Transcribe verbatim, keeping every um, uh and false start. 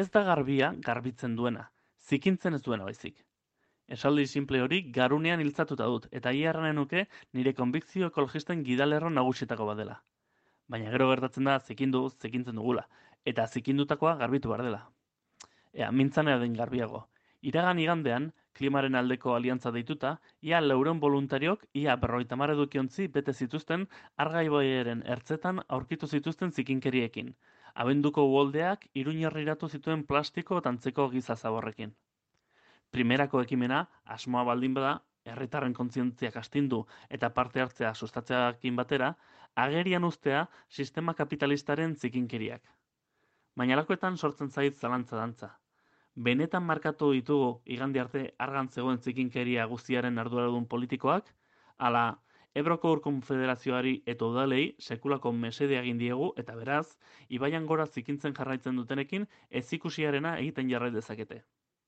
Ez da garbia garbitzen duena, zikintzen ez duena baizik. Esaldi simple hori garunean iltzatuta dut, eta ia erranen nuke nire konbikzio ekologisten gidalerro nagusietako badela. Baina gero gertatzen da zikindu, zikintzen dugula, eta zikindutakoa garbitu behar dela. Ea, mintzanea den garbiago. Iragan igandean, klimaren aldeko aliantza deituta, ia laureun voluntariok, ia berrogeita hamar edukiontzi bete zituzten Argaiboiaren ertzetan aurkitu zituzten zikinkeriekin. Abenduko uholdeak iruñerriratu zituen plastiko tantzeko giza zaborrekin. Primerako ekimena, asmoa baldin bada, herritarren kontzientziak astindu eta parte hartzea sustatzearekin batera, agerian uztea sistema kapitalistaren zikinkeriak. Baina halakoetan sortzen zait zalantza dantza. Benetan markatu ditugu igande arte argan zegoen zikinkeria guztiaren arduradun politikoak, ala Ebroko Ur Konfederazioari eta udalei sekulako mesedea egin diegu eta beraz, ibaian gora zikintzen jarraitzen dutenekin ez ikusiarena egiten jarrai dezakete.